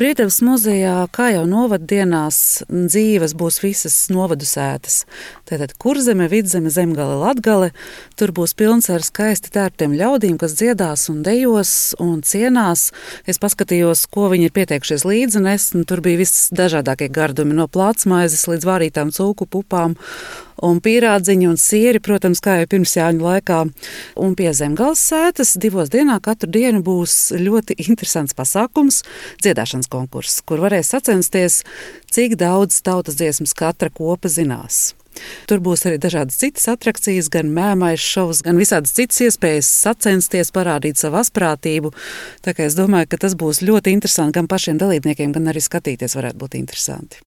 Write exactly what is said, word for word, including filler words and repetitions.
Briedavas muzejā, kā jau novaddienās, dzīves būs visas novadu sētas. Tātad Kurzeme, Vidzeme, Zemgale, Latgale. Tur būs pilns ar skaisti tērptiem ļaudīm, kas dziedās un dejos un cienās. Es paskatījos, ko viņi ir pieteikušies līdzi nest, un tur bija viss dažādākie gardumi, no plātsmaizes līdz vārītām cūku pupām un pīrādziņi un sieri, protams, kā jau pirms Jāņu laikā. Un pie Zemgales sētas divos dienā katru dienu būs ļoti interesants pasākums, dziedāšanas konkurss, kur varēs sacensties, cik daudz tautas dziesmas katra kopa zinās. Tur būs arī dažādas citas atrakcijas, gan mēmais šovs, gan visādas citas iespējas sacensties, parādīt savu asprātību. Tā kā es domāju, ka tas būs ļoti interesanti gan pašiem dalībniekiem, gan arī skatīties varētu būt interesanti.